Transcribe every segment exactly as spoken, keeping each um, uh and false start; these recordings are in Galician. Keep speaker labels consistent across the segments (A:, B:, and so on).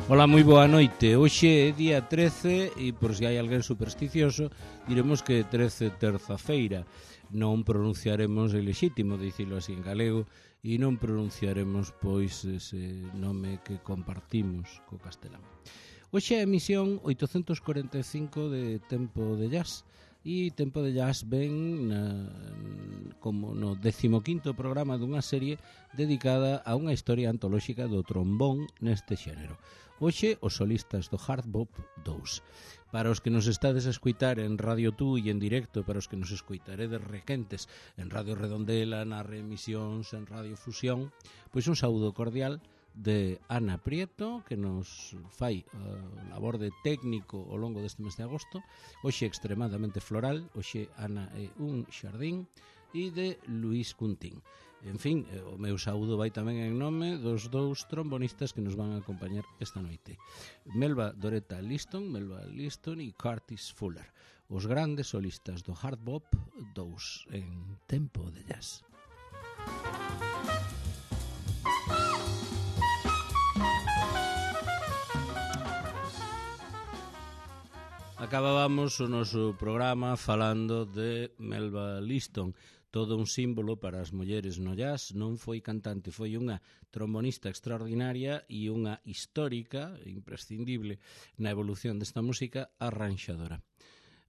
A: Ola, moi boa noite. Hoxe é día trece e por se hai alguén supersticioso diremos que trece terza-feira. Non pronunciaremos o lexítimo, dicilo así en galego, e non pronunciaremos pois ese nome que compartimos co castelán. Hoxe é a emisión oitocentos corenta e cinco de Tempo de Jazz. E Tempo de Jazz ven na, como no decimoquinto programa dunha serie dedicada a unha historia antolóxica do trombón neste xénero. Hoxe, os solistas do Hard Bop dous. Para os que nos estades a escuitar en Radio Tú e en directo, para os que nos escuitaredes requentes en Radio Redondela, nas reemisións, en Radio Fusión, pois un saúdo cordial de Ana Prieto, que nos fai uh, labor de técnico ao longo deste mes de agosto. Hoxe extremadamente floral, hoxe Ana é un xardín, e de Luís Cuntín. En fin, o meu saúdo vai tamén en nome dos dous trombonistas que nos van a acompañar esta noite. Melba Doretta Liston, Melba Liston e Curtis Fuller, os grandes solistas do Hard Bop dous en Tempo de Jazz. Acabábamos o noso programa falando de Melba Liston, todo un símbolo para as mulleres no jazz. Non foi cantante, foi unha trombonista extraordinaria e unha histórica, imprescindible na evolución desta música, arranxadora.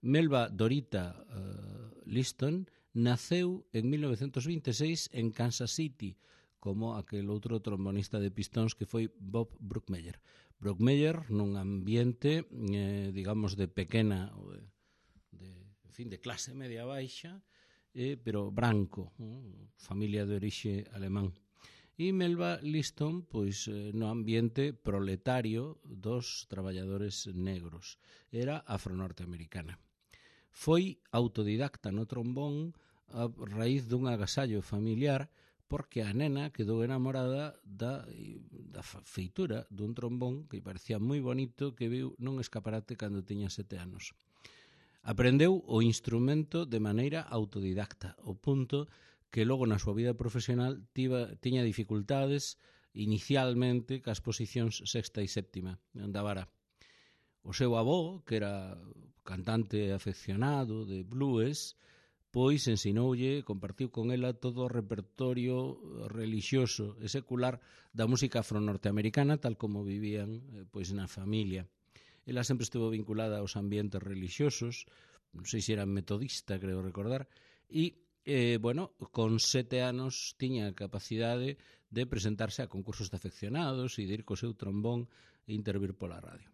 A: Melba Doretta uh, Liston naceu en mil novecentos vinte e seis en Kansas City, como aquel outro trombonista de pistóns que foi Bob Brookmeyer. Brookmeyer nun ambiente, eh, digamos, de pequena, de, de, en fin, de clase media baixa, eh, pero branco, eh, familia de orixe alemán. E Melba Liston, pois, eh, no ambiente proletario dos traballadores negros. Era afro-norteamericana. Foi autodidacta no trombón a raíz dun agasallo familiar, porque a nena quedou enamorada da, da feitura dun trombón que parecía moi bonito que viu nun escaparate cando tiña sete anos. Aprendeu o instrumento de maneira autodidacta, ao punto que logo na súa vida profesional tiba, tiña dificultades inicialmente cas posicións sexta e séptima, andavara. O seu avó, que era cantante afeccionado de blues, pois ensinoulle, compartiu con ela todo o repertorio relixioso e secular da música afro-norteamericana, tal como vivían pois na familia. Ela sempre estuvo vinculada aos ambientes relixiosos, non sei se era metodista, creo recordar, e, eh, bueno, con sete anos tiña a capacidade de presentarse a concursos de afeccionados e de ir co seu trombón e intervir pola radio.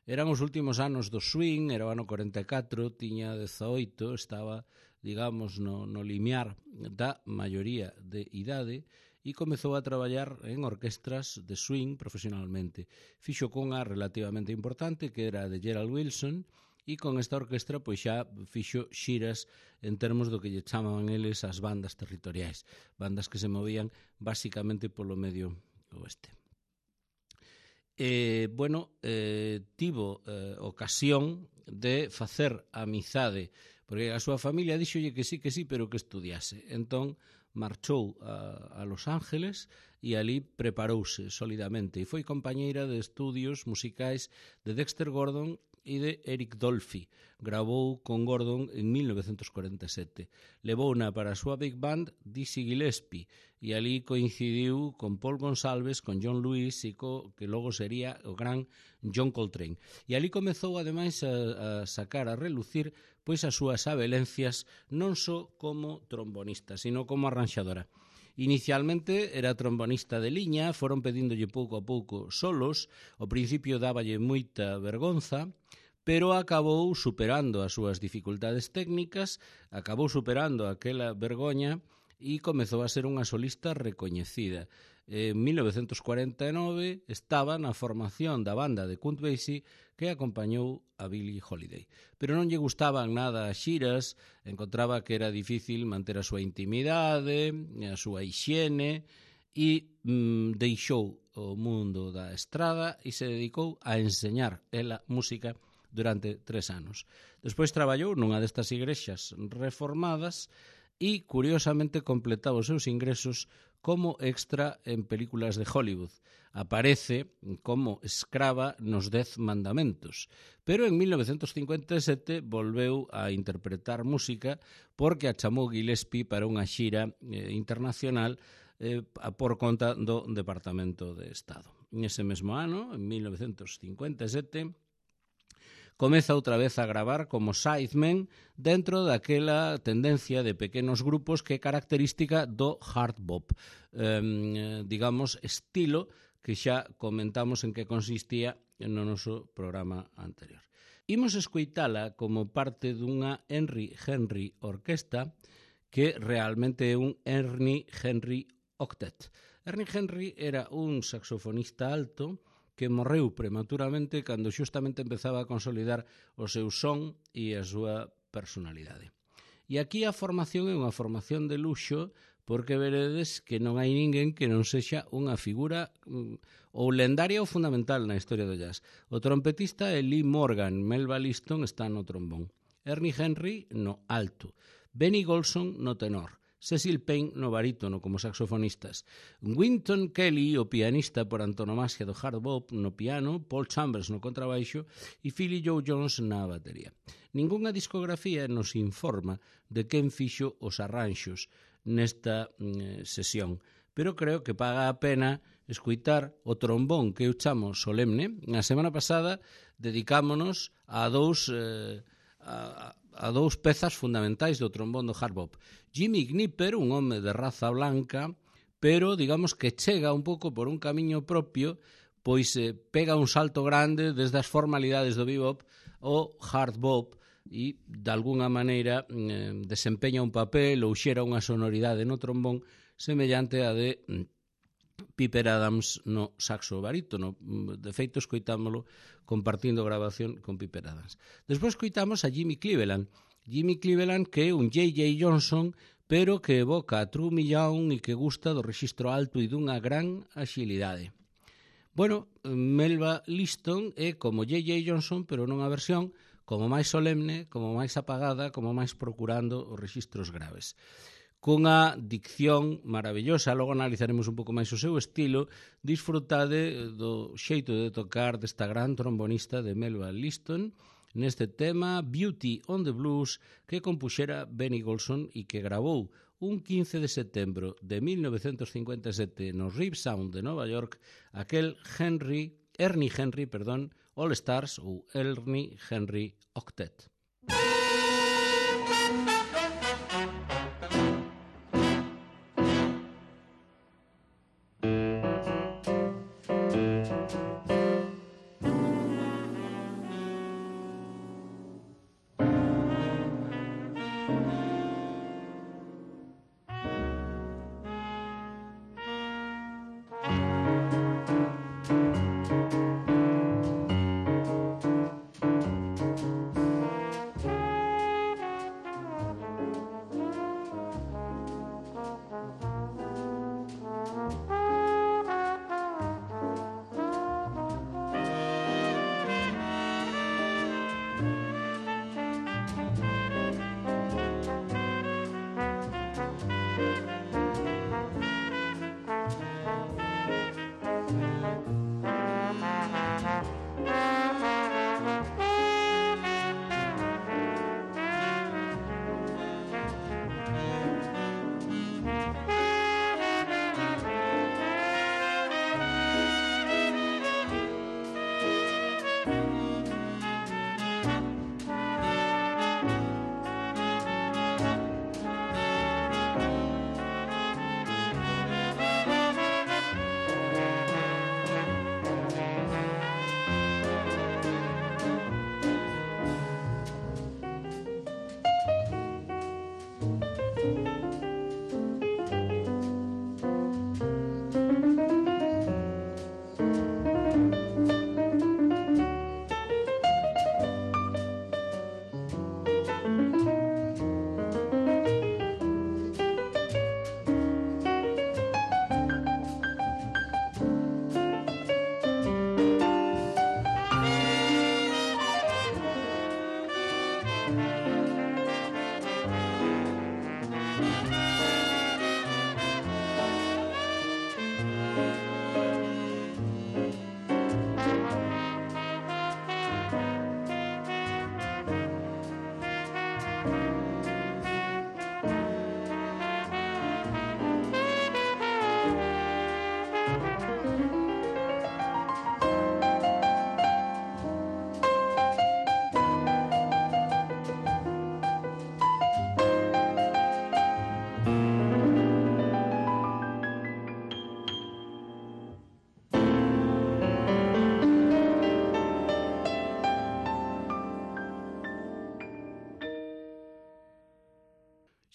A: Eran os últimos anos do swing, era o ano corenta e catro, tiña dezaoito, estaba, digamos, no, no limiar da maioría de idade e comezou a traballar en orquestras de swing profesionalmente. Fixo cunha relativamente importante, que era de Gerald Wilson, e con esta orquestra pois xa fixo xiras en termos do que lle chamaban eles as bandas territoriais, bandas que se movían basicamente polo medio oeste. Eh, bueno, eh, tivo eh, ocasión de facer amizade, porque a súa familia díxolle que sí, que sí, pero que estudiase. Entón, marchou a, a Los Ángeles e ali preparouse solidamente e foi compañeira de estudios musicais de Dexter Gordon e de Eric Dolphy. Gravou con Gordon en mil novecentos corenta e sete. Levouna para a súa big band Dizzy Gillespie e ali coincidiu con Paul Gonsalves, con John Lewis e co que logo sería o gran John Coltrane. E ali comezou ademais a, a sacar a relucir pois as súas abelencias non só como trombonista, sino como arranxadora. Inicialmente era trombonista de liña, foron pedíndolle pouco a pouco solos, ao principio dáballe moita vergonza, pero acabou superando as súas dificultades técnicas, acabou superando aquela vergoña e comezou a ser unha solista recoñecida. En mil novecentos cuarenta e nove estaba na formación da banda de Count Basie que acompañou a Billie Holiday. Pero non lle gustaban nada as xiras, encontraba que era difícil manter a súa intimidade, a súa hixiene e mm, deixou o mundo da estrada e se dedicou a enseñar ela música durante tres anos. Despois traballou nunha destas igrexas reformadas e, curiosamente, completaba os seus ingresos como extra en películas de Hollywood. Aparece como escrava nos Dez Mandamentos, pero en mil novecientos cincuenta e sete volveu a interpretar música porque a chamou Gillespie para unha xira eh, internacional eh, por conta do Departamento de Estado. Nese mesmo ano, en mil novecientos cincuenta e sete, comeza outra vez a gravar como sideman dentro daquela tendencia de pequenos grupos que é característica do hard bop, eh, digamos, estilo que xa comentamos en que consistía no noso programa anterior. Imos escoitala como parte dunha Henry Henry Orquesta que realmente é un Ernie Henry Octet. Ernie Henry era un saxofonista alto que morreu prematuramente cando xustamente empezaba a consolidar o seu son e a súa personalidade. E aquí a formación é unha formación de luxo porque veredes que non hai ninguén que non sexa unha figura ou lendaria ou fundamental na historia do jazz. O trompetista é Lee Morgan, Melba Liston está no trombón, Ernie Henry no alto, Benny Golson no tenor, Cecil Payne no barítono como saxofonistas, Wynton Kelly, o pianista por antonomasia do hard bop, no piano, Paul Chambers no contrabaixo e Philly Joe Jones na batería. Ningunha discografía nos informa de quen fixo os arranxos nesta eh, sesión, pero creo que paga a pena escoitar o trombón que eu chamo solemne. Na semana pasada dedicámonos a dous... Eh, a, a dous pezas fundamentais do trombón do hard bop. Jimmy Knipper, un home de raza blanca, pero digamos que chega un pouco por un camiño propio, pois eh, pega un salto grande desde as formalidades do bebop ao hard bop e, de alguna maneira, eh, desempeña un papel ou xera unha sonoridade no trombón semellante a de Piper Adams no saxo barítono. De feito, escoitámolo compartindo grabación con Piper Adams. Despois escoitamos a Jimmy Cleveland. Jimmy Cleveland que é un J J Johnson, pero que evoca a True Millón e que gusta do rexistro alto e dunha gran axilidade. Bueno, Melba Liston é como J J Johnson, pero nunha versión como máis solemne, como máis apagada, como máis procurando os rexistros graves. Cunha dicción maravillosa, logo analizaremos un pouco máis o seu estilo, disfrutade do xeito de tocar desta gran trombonista de Melba Liston neste tema Beauty on the Blues que compuxera Benny Golson e que gravou un quince de setembro de mil novecientos cincuenta e sete no Rip Sound de Nova York aquel Henry, Ernie Henry, perdón, All Stars ou Ernie Henry Octet.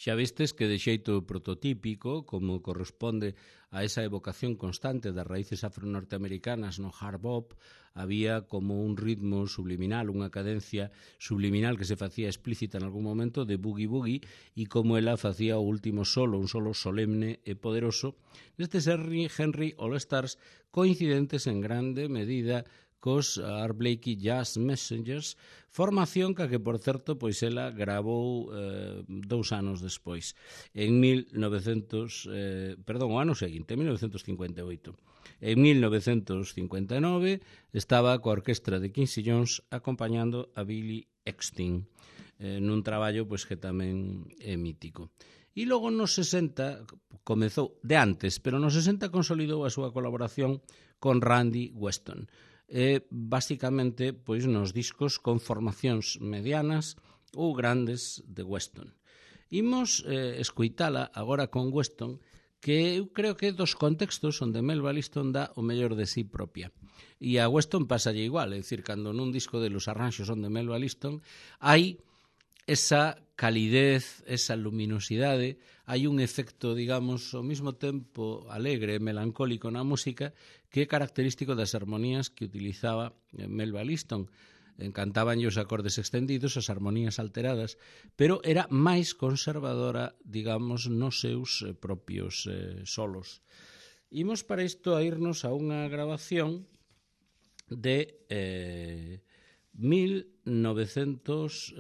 A: Xa vistes que de xeito prototípico, como corresponde a esa evocación constante das raíces afro-norteamericanas no hard bop, había como un ritmo subliminal, unha cadencia subliminal que se facía explícita en algún momento de boogie-boogie, e como ela facía o último solo, un solo solemne e poderoso, nestes Henry, Henry All Stars, coincidentes en grande medida cos Art Blakey Jazz Messengers, formación que, que por certo, pois ela gravou eh, dous anos despois, en mil novecentos, eh, perdón, o ano seguinte, en mil novecentos cincuenta e oito. En mil novecentos cincuenta e nove estaba coa orquestra de Quincy Jones acompañando a Billy Eckstine, eh, nun traballo pois que tamén é mítico. E logo nos sesenta comezou, de antes, pero nos sesenta consolidou a súa colaboración con Randy Weston. E, basicamente, pois nos discos con formacións medianas ou grandes de Weston. Imos eh, escoitala agora con Weston, que eu creo que é dos contextos onde Melba Liston dá o mellor de sí propia. E a Weston pasalle igual, é dicir, cando nun disco de los arranxos onde Melba Liston hai esa calidez, esa luminosidade, hai un efecto, digamos, ao mesmo tempo alegre e melancólico na música que é característico das armonías que utilizaba Melba Liston. Encantaban os acordes extendidos, as armonías alteradas, pero era máis conservadora, digamos, nos seus propios eh, solos. Imos para isto a irnos a unha grabación de eh, mil novecentos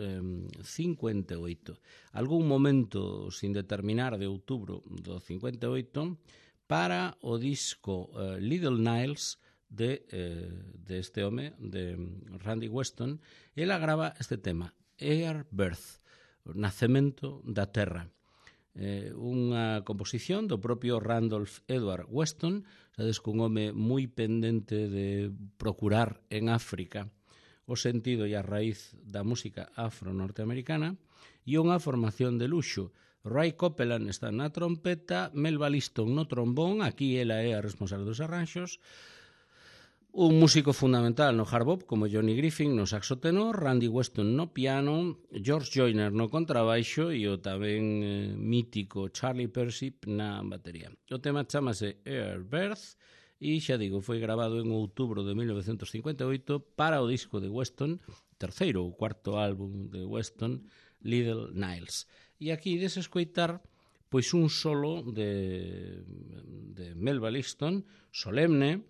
A: cincuenta e oito. Algún momento sin determinar de outubro do cincuenta e oito para o disco eh, Little Niles de, eh, de este home, de Randy Weston. Ela grava este tema, Air Birth, o nacemento da terra. Eh, unha composición do propio Randolph Edward Weston, sabes, cun home moi pendente de procurar en África o sentido e a raíz da música afro-norteamericana, e unha formación de luxo. Ray Copeland está na trompeta, Melba Liston no trombón, aquí ela é a responsable dos arranxos, un músico fundamental no hard bop como Johnny Griffin no saxo tenor, Randy Weston no piano, George Joyner no contrabaixo e o tamén eh, mítico Charlie Persip na batería. O tema chamase Air Birth e, xa digo, foi grabado en outubro de mil novecentos cincuenta e oito para o disco de Weston, terceiro ou cuarto álbum de Weston, Little Niles. E aquí des escoitar pois un solo de, de Melba Liston, solemne,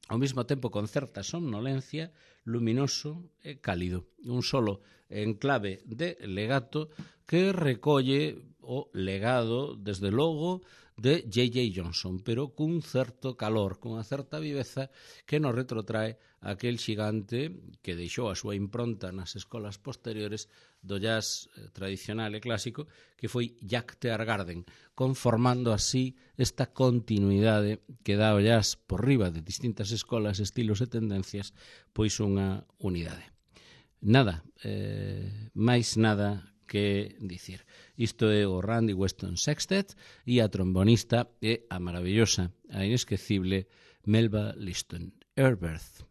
A: ao mesmo tempo con certa somnolencia, luminoso e cálido. Un solo en clave de legato que recolle o legado, desde logo, de J J Johnson, pero cun certo calor, cunha certa viveza que nos retrotrae aquel xigante que deixou a súa impronta nas escolas posteriores do jazz tradicional e clásico, que foi Jack Teargarden, conformando así esta continuidade que dá o jazz por riba de distintas escolas, estilos e tendencias, pois unha unidade. Nada, eh, máis nada que dicir. Isto é o Randy Weston Sextet e a trombonista é a maravillosa, a inesquecible Melba Liston. Air Birth.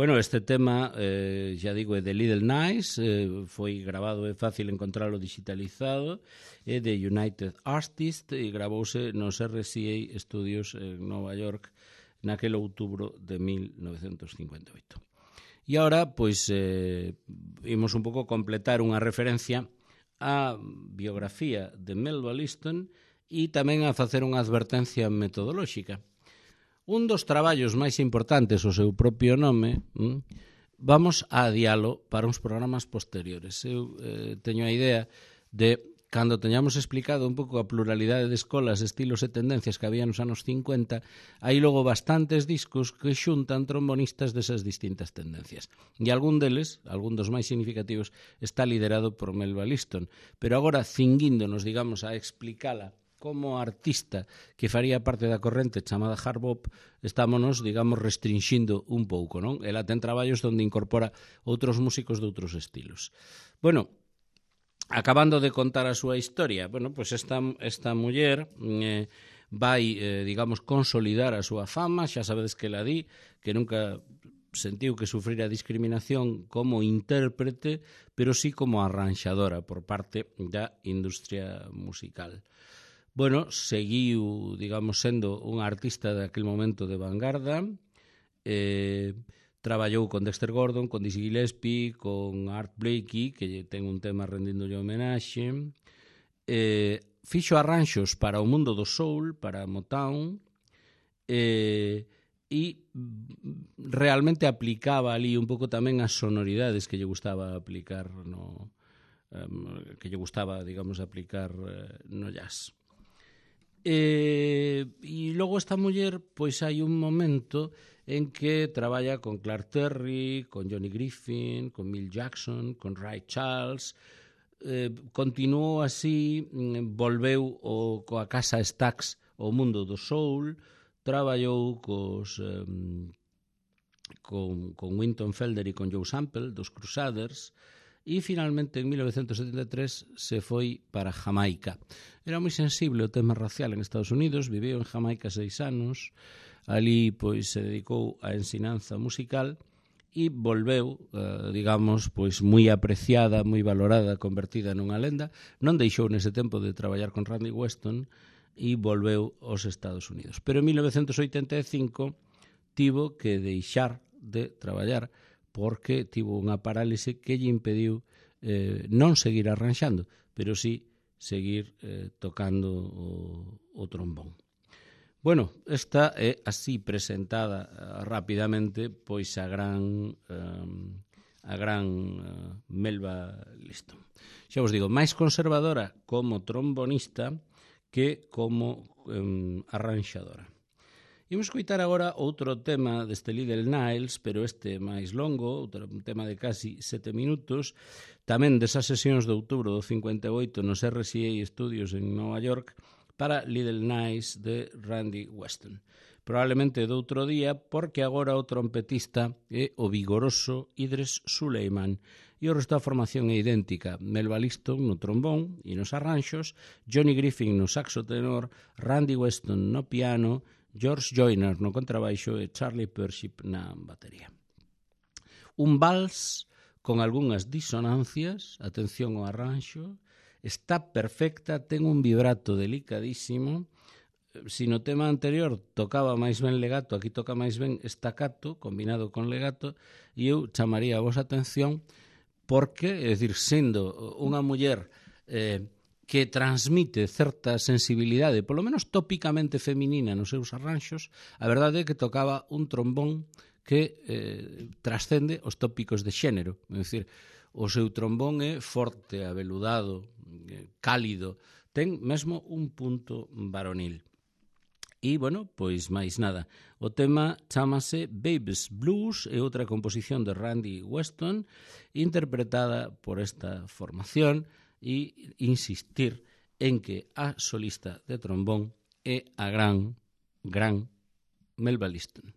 A: Bueno, este tema, eh, xa digo, é de Little Nice, eh, foi grabado, é fácil encontralo digitalizado, é de United Artists e gravouse nos R C A Studios en Nova York naquele outubro de mil novecentos cincuenta e oito. E agora, pois, eh, imos un pouco completar unha referencia á biografía de Melba Liston e tamén a facer unha advertencia metodolóxica. Un dos traballos máis importantes, o seu propio nome, hm, vamos a adialo para uns programas posteriores. Eu eh, teño a idea de, cando teñamos explicado un pouco a pluralidade de escolas, estilos e tendencias que había nos anos cincuenta, hai logo bastantes discos que xuntan trombonistas desas distintas tendencias. E algún deles, algún dos máis significativos, está liderado por Melba Liston. Pero agora, cinguíndonos, digamos, a explicala como artista que faría parte da corrente chamada hard bop, estámonos, digamos, restringindo un pouco, non? Ela ten traballos onde incorpora outros músicos de outros estilos. Bueno, acabando de contar a súa historia, bueno, pois esta, esta muller eh, vai, eh, digamos, consolidar a súa fama, xa sabedes que la di, que nunca sentiu que sufrira discriminación como intérprete, pero sí como arranxadora por parte da industria musical. Bueno, seguiu, digamos, sendo un artista daquele momento de vanguarda, eh, traballou con Dexter Gordon, con Dizzy Gillespie, con Art Blakey, que ten un tema rendíndolle homenaxe, eh, fixo arranxos para o mundo do soul, para Motown, eh, e realmente aplicaba ali un pouco tamén as sonoridades que lle gustaba aplicar no, um, que lle gustaba, digamos, aplicar uh, no jazz. E, e logo esta muller, pois hai un momento en que traballa con Clark Terry, con Johnny Griffin, con Milt Jackson, con Ray Charles, eh, continuou así, volveu o, coa casa Stax ao mundo do soul, traballou cos, eh, con, con Wynton Felder e con Joe Sample, dos Crusaders, e finalmente en mil novecentos setenta e tres se foi para Jamaica. Era moi sensible o tema racial en Estados Unidos, viveu en Jamaica seis anos, ali pois se dedicou á ensinanza musical e volveu, eh, digamos, pois moi apreciada, moi valorada, convertida nunha lenda. Non deixou nese tempo de traballar con Randy Weston e volveu aos Estados Unidos. Pero en mil novecentos oitenta e cinco tivo que deixar de traballar porque tivo unha parálise que lle impediu eh, non seguir arranxando, pero sí seguir eh, tocando o, o trombón. Bueno, esta é así presentada uh, rapidamente pois a gran um, a gran uh, Melba Liston. Xa vos digo, máis conservadora como trombonista que como um, arranxadora. Imos coitar agora outro tema deste Little Niles, pero este máis longo, outro, un tema de casi sete minutos, tamén desas sesións de outubro do cincuenta e oito nos R C A Studios en Nova York, para Little Niles de Randy Weston. Probablemente de outro día, porque agora o trompetista é o vigoroso Idris Suleiman, e o resto da formación é idéntica. Melba Liston no trombón e nos arranxos, Johnny Griffin no saxo tenor, Randy Weston no piano, George Joyner no contrabaixo e Charlie Pership na batería. Un vals con algunhas disonancias, atención ao arranxo, está perfecta, ten un vibrato delicadísimo. Si no tema anterior tocaba máis ben legato, aquí toca máis ben staccato, combinado con legato, e eu chamaría a vosa atención porque, é dicir, sendo unha muller eh, que transmite certa sensibilidade, polo menos tópicamente feminina nos seus arranxos, a verdade é que tocaba un trombón que eh, trascende os tópicos de xénero. É dicir, o seu trombón é forte, aveludado, cálido, ten mesmo un punto varonil. E, bueno, pois máis nada. O tema chámase Baby's Blues, é outra composición de Randy Weston, interpretada por esta formación, e insistir en que a solista de trombón é a gran, gran Melba Liston.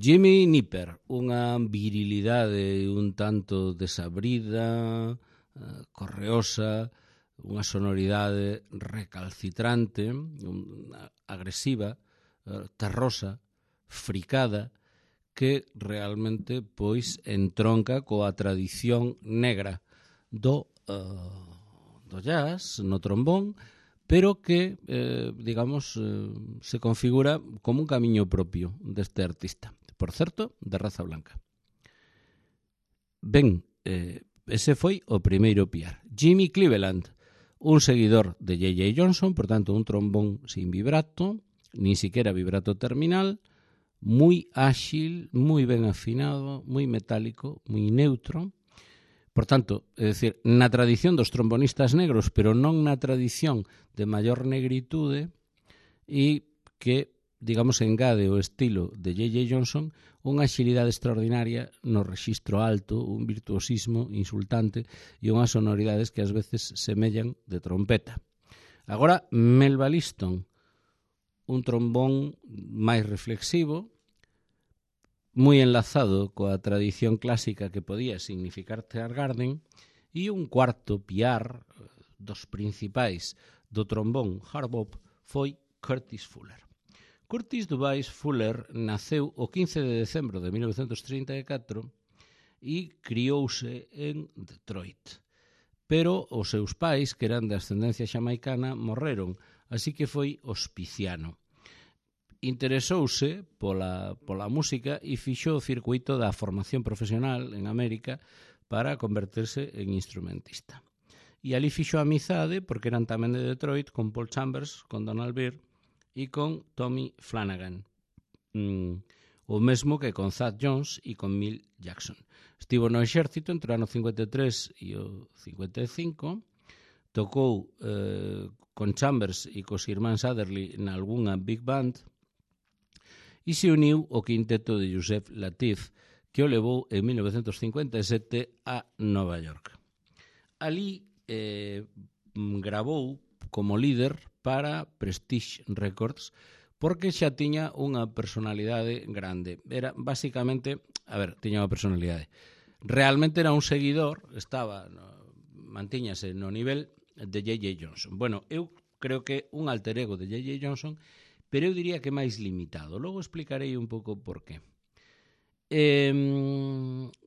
A: Jimmy Nipper, unha virilidade un tanto desabrida, correosa, unha sonoridade recalcitrante, agresiva, terrosa, fricada, que realmente pois entronca coa tradición negra do, uh, do jazz, no trombón, pero que, eh, digamos, eh, se configura como un camiño propio deste artista. Por certo, de raza blanca. Ben, eh, ese foi o primeiro piar. Jimmy Cleveland, un seguidor de J J Johnson, por tanto, un trombón sin vibrato, ni siquiera vibrato terminal, moi áxil, moi ben afinado, moi metálico, moi neutro. Por tanto, é dicir, na tradición dos trombonistas negros, pero non na tradición de maior negritude, e que, digamos, engade o estilo de J J Johnson unha axilidade extraordinaria no rexistro alto, un virtuosismo insultante e unhas sonoridades que ás veces semellan de trompeta. Agora, Melba Liston, un trombón máis reflexivo, moi enlazado coa tradición clásica que podía significar Teargarden, e un cuarto piar dos principais do trombón hard bop foi Curtis Fuller. Curtis Dubais Fuller naceu o quince de decembro de mil novecentos trinta e catro e criouse en Detroit. Pero os seus pais, que eran de ascendencia xamaicana, morreron, así que foi hospiciano. Interesouse pola, pola música e fixo o circuito da formación profesional en América para converterse en instrumentista. E ali fixo amizade, porque eran tamén de Detroit, con Paul Chambers, con Donald Byrd e con Tommy Flanagan. Mm, o mesmo que con Thad Jones e con Milt Jackson. Estivo no exército entre o ano cincuenta e tres e o cincuenta e cinco, tocou eh, con Chambers e cos irmáns Adderley na algunha big band e se uniu ao quinteto de Yusef Lateef, que o levou en mil novecentos cincuenta e sete a Nova York. Ali eh, gravou como líder para Prestige Records, porque xa tiña unha personalidade grande. Era, basicamente, a ver, tiña unha personalidade. Realmente era un seguidor, estaba, no, mantíñase no nivel de J J Johnson. Bueno, eu creo que un alter ego de J J Johnson, pero eu diría que máis limitado. Logo explicarei un pouco por qué. Eh,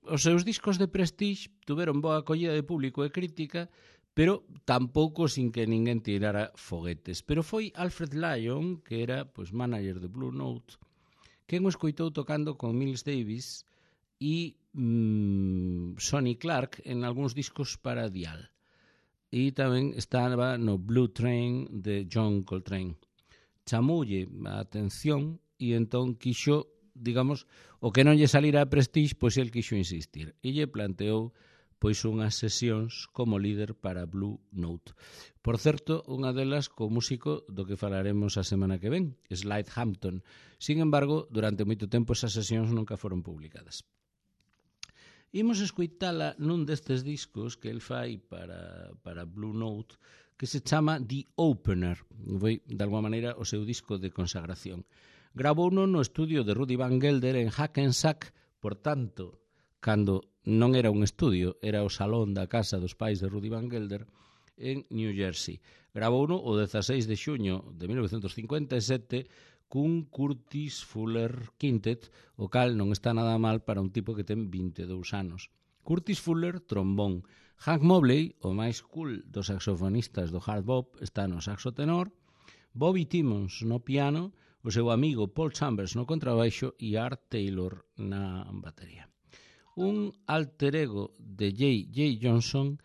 A: os seus discos de Prestige tuveron boa acollida de público e crítica, pero tampouco sin que ninguén tirara foguetes. Pero foi Alfred Lyon, que era pois, manager de Blue Note, quen o escoitou tocando con Miles Davis e mmm, Sonny Clark en algúns discos para Dial. e tamén estaba no Blue Train de John Coltrane. Chamoulle a atención e entón quixo, digamos, o que non lle salira a Prestige, pois el quixo insistir e lle planteou pois unhas sesións como líder para Blue Note. Por certo, unha delas co músico do que falaremos a semana que ven, Slide Hampton. Sin embargo, durante moito tempo esas sesións nunca foron publicadas. Imos escoitala nun destes discos que el fai para, para Blue Note, que se chama The Opener. Foi, de alguma maneira, o seu disco de consagración. Gravouno no estudio de Rudy Van Gelder en Hackensack, por tanto, cando non era un estudio, era o salón da casa dos pais de Rudy Van Gelder en New Jersey. Gravouno o dezaseis de xuño de mil novecentos cincuenta e sete cun Curtis Fuller Quintet, o cal non está nada mal para un tipo que ten vinte e dous anos. Curtis Fuller, trombón. Hank Mobley, o máis cool dos saxofonistas do hard bop, está no saxo tenor. Bobby Timmons no piano, o seu amigo Paul Chambers no contrabaixo e Art Taylor na batería. Un alter ego de J J Johnson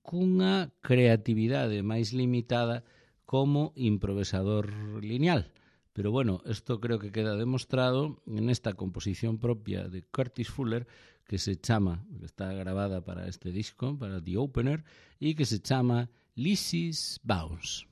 A: cunha creatividade máis limitada como improvisador lineal. Pero bueno, isto creo que queda demostrado en esta composición propia de Curtis Fuller que se chama, que está grabada para este disco, para The Opener, e que se chama Lizzie's Bounce.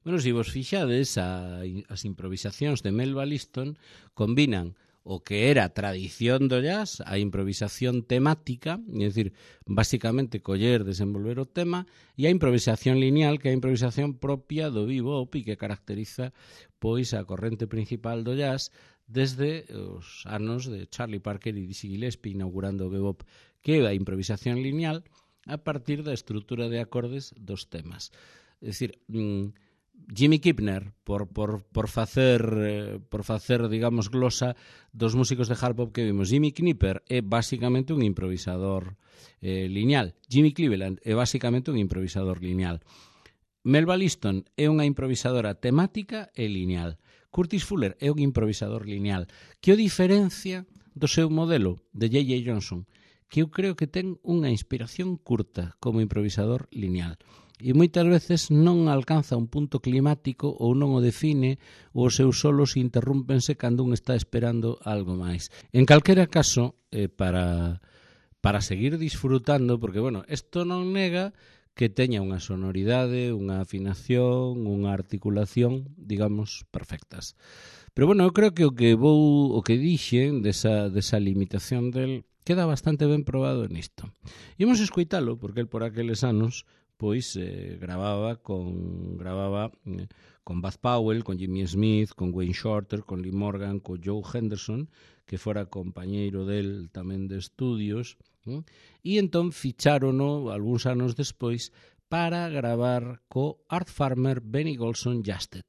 A: Bueno, se vos fixades, a, as improvisacións de Melba Liston combinan o que era tradición do jazz, a improvisación temática, é dicir, basicamente coller, desenvolver o tema, e a improvisación lineal, que é a improvisación propia do bebop e que caracteriza pois a corrente principal do jazz desde os anos de Charlie Parker e Dizzy Gillespie inaugurando o bebop, que é a improvisación lineal a partir da estrutura de acordes dos temas. É dicir, mmm, Jimmy Kipner, por, por, por facer, eh, por facer, digamos, glosa dos músicos de hard bop que vimos. Jimmy Knipper é basicamente un improvisador eh, lineal. Jimmy Cleveland é basicamente un improvisador lineal. Melba Liston é unha improvisadora temática e lineal. Curtis Fuller é un improvisador lineal. Que o diferencia do seu modelo de J J Johnson, que eu creo que ten unha inspiración curta como improvisador lineal. E moitas veces non alcanza un punto climático ou non o define ou os seus solos interrúmpense cando un está esperando algo máis. En calquera caso, eh, para, para seguir disfrutando, porque, bueno, isto non nega que teña unha sonoridade, unha afinación, unha articulación, digamos, perfectas. Pero, bueno, eu creo que o que vou, o que dixen desa, desa limitación del queda bastante ben probado nisto. Imos escoitalo, porque el por aqueles anos pois eh, gravaba con gravaba eh, con Bud Powell, con Jimmy Smith, con Wayne Shorter, con Lee Morgan, con Joe Henderson, que fora compañeiro del tamén de estudios, eh? E entón fichárono algúns anos despois para gravar co Art Farmer, Benny Golson Jasted.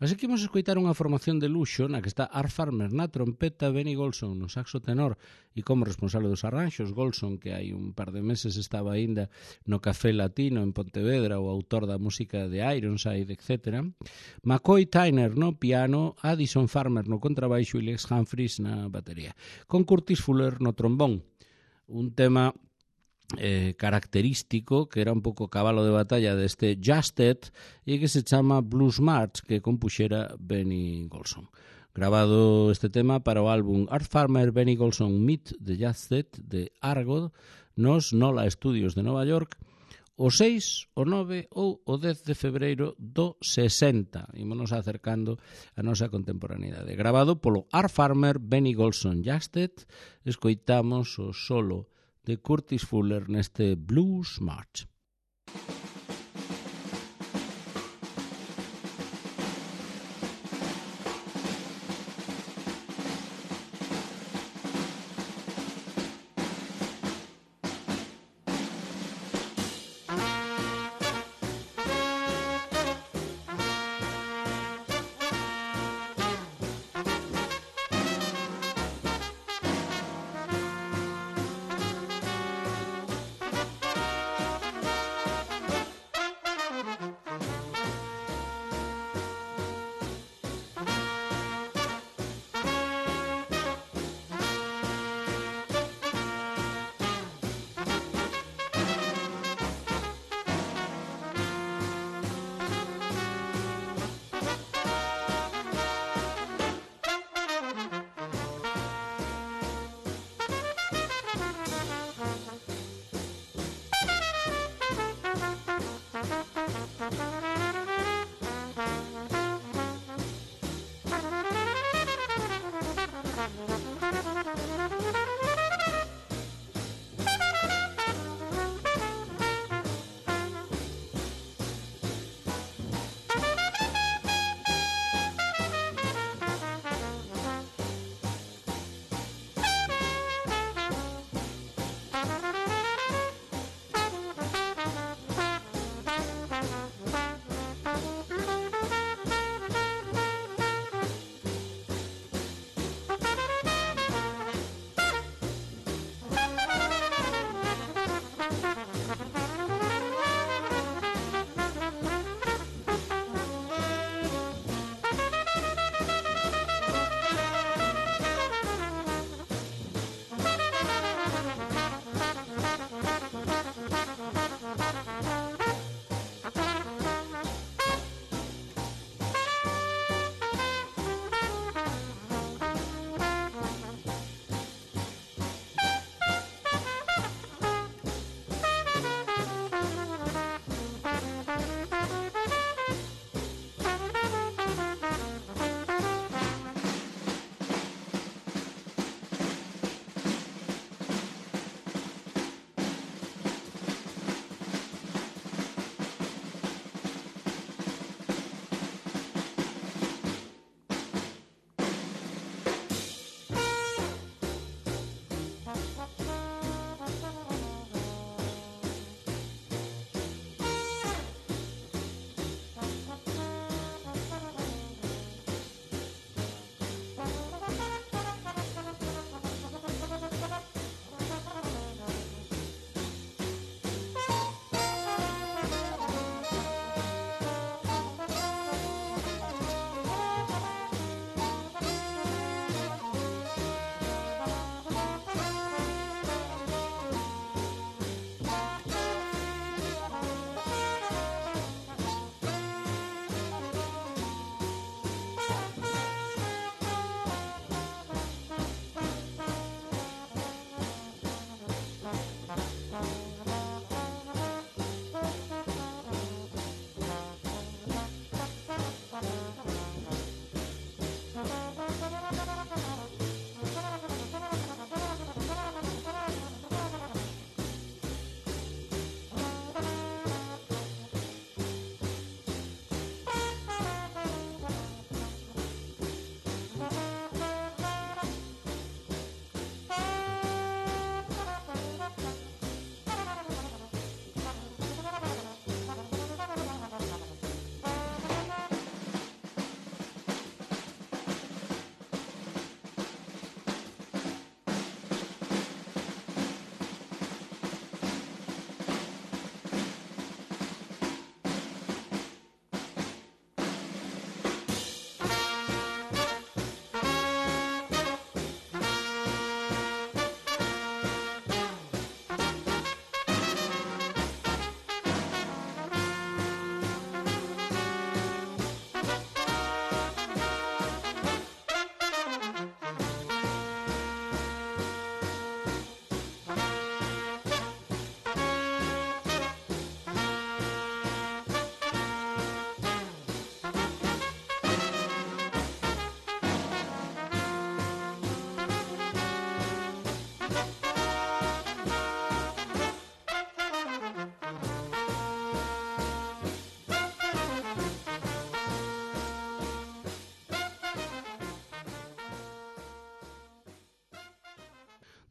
A: Así que imos escoitar unha formación de luxo na que está Art Farmer na trompeta, Benny Golson no saxo tenor e como responsable dos arranxos, Golson, que hai un par de meses estaba aínda no Café Latino en Pontevedra, o autor da música de Ironside, etcétera. McCoy Tyner no piano, Addison Farmer no contrabaixo e Lex Humphries na batería. Con Curtis Fuller no trombón. Un tema Eh, característico que era un pouco cabalo de batalla deste Jasted e que se chama Blues March, que compuxera Benny Golson. Grabado este tema para o álbum Art Farmer, Benny Golson Meet the Jasted de Argo nos Nola Studios de Nova York o seis, o nove ou o dez de febreiro do sesenta. Ímonos acercando a nosa contemporaneidade. Grabado polo Art Farmer, Benny Golson Jasted, escoitamos o solo de Curtis Fuller neste Blues March.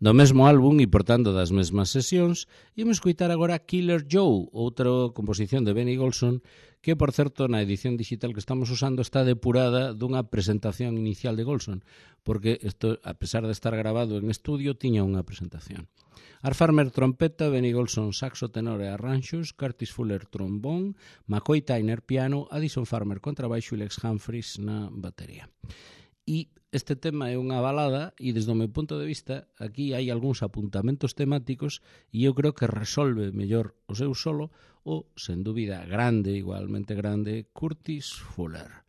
A: Do mesmo álbum e, portanto, das mesmas sesións, imos escoitar agora Killer Joe, outra composición de Benny Golson, que, por certo, na edición digital que estamos usando está depurada dunha presentación inicial de Golson, porque isto, a pesar de estar grabado en estudio, tiña unha presentación. Art Farmer trompeta, Benny Golson saxo tenor e arranxos, Curtis Fuller trombón, McCoy Tyner piano, Addison Farmer contrabaixo e Lex Humphries na batería. E este tema é unha balada e, desde o meu punto de vista, aquí hai algúns apuntamentos temáticos e eu creo que resolve mellor o seu solo o, sen dúbida, grande, igualmente grande, Curtis Fuller.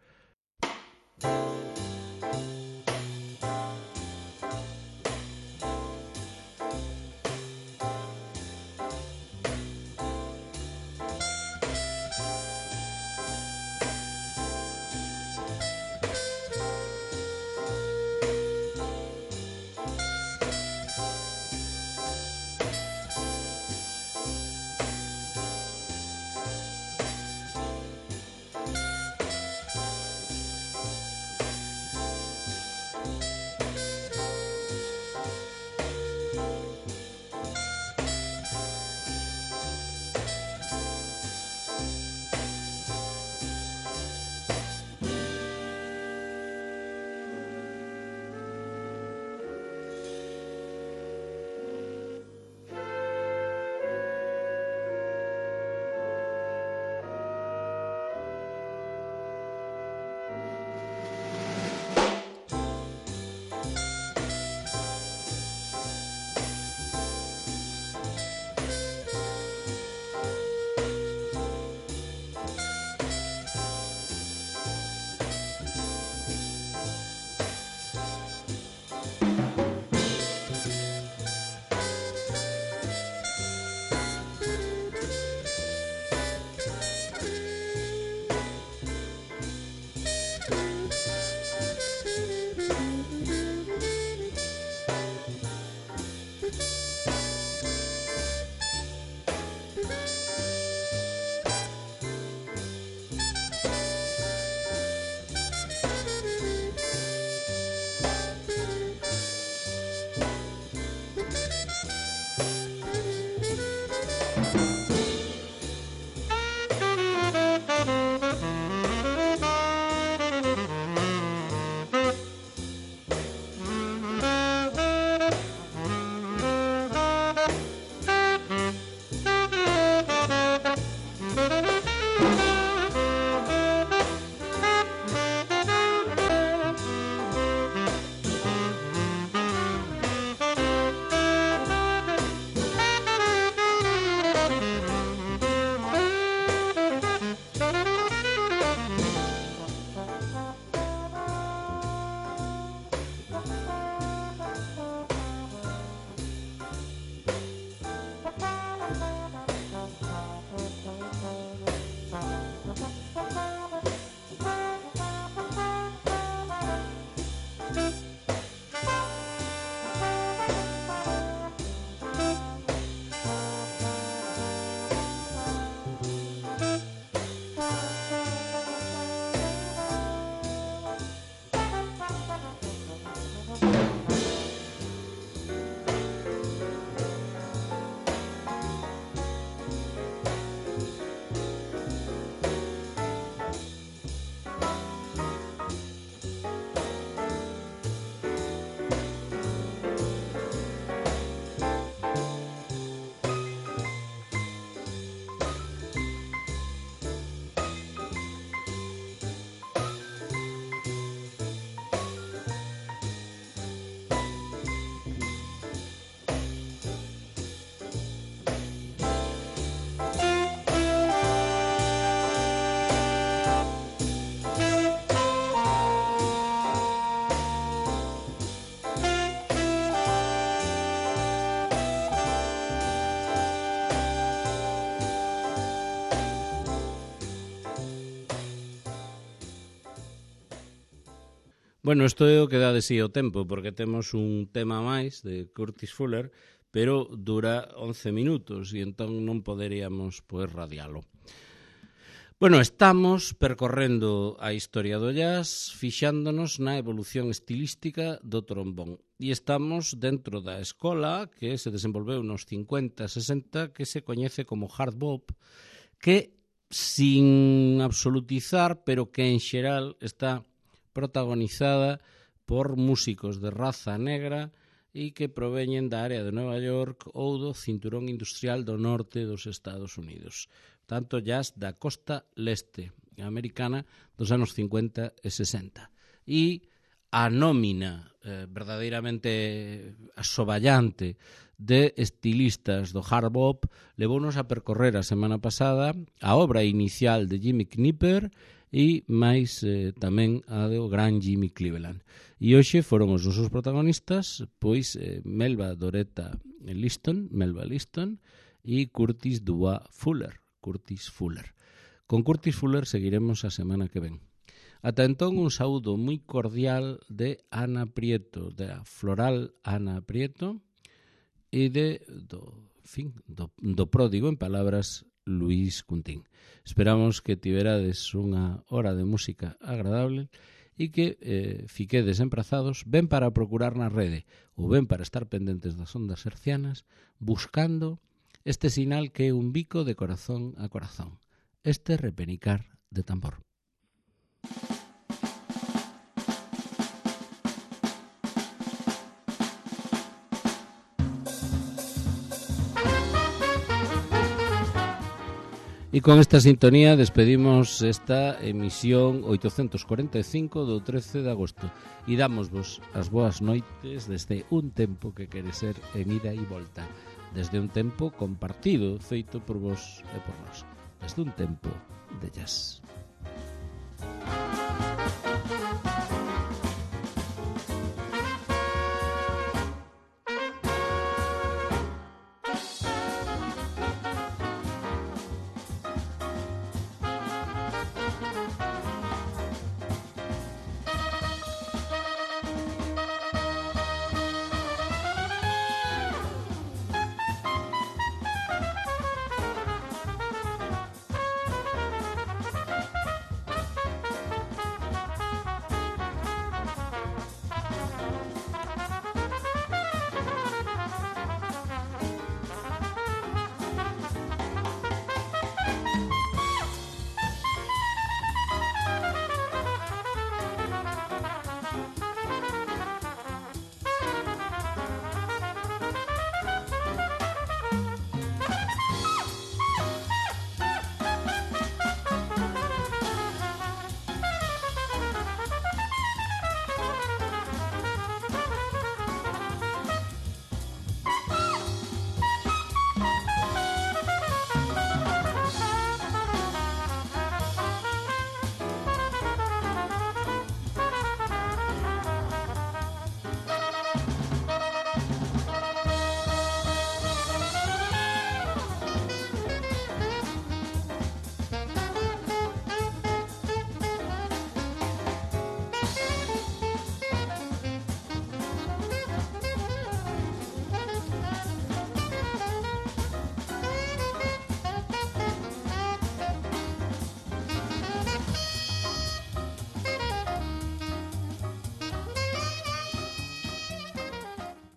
A: Bueno, isto é o que dá de sí o tempo, porque temos un tema máis de Curtis Fuller, pero dura once minutos e entón non poderíamos pois radialo. Bueno, estamos percorrendo a historia do jazz, fixándonos na evolución estilística do trombón. E estamos dentro da escola que se desenvolveu nos cincuenta, sesenta, que se coñece como hard bop, que, sin absolutizar, pero que en xeral está protagonizada por músicos de raza negra e que proveñen da área de Nova York ou do cinturón industrial do norte dos Estados Unidos. Tanto jazz da costa leste americana dos anos cincuenta e sesenta. E a nómina eh, verdadeiramente asoballante de estilistas do hard bop levounos a percorrer a semana pasada a obra inicial de Jimmy Knipper e máis eh, tamén a do gran Jimmy Cleveland. E hoxe foron os nosos protagonistas, pois eh, Melba Doretta Liston, Melba Liston e Curtis Dubois Fuller, Curtis Fuller. Con Curtis Fuller seguiremos a semana que ven. Ata entón, un saúdo moi cordial de Ana Prieto, da Floral Ana Prieto, e de, do, en fin, do, do pródigo, en palabras, Luís Cuntín. Esperamos que tiverades unha hora de música agradable e que eh, fiquedes emprazados ben para procurar na rede ou ben para estar pendentes das ondas hercianas buscando este sinal que é un bico de corazón a corazón, este repenicar de tambor. E con esta sintonía despedimos esta emisión oitocentos cuarenta e cinco do trece de agosto e dámosvos as boas noites desde un tempo que quere ser en ida e volta, desde un tempo compartido feito por vos e por nós, desde un tempo de jazz.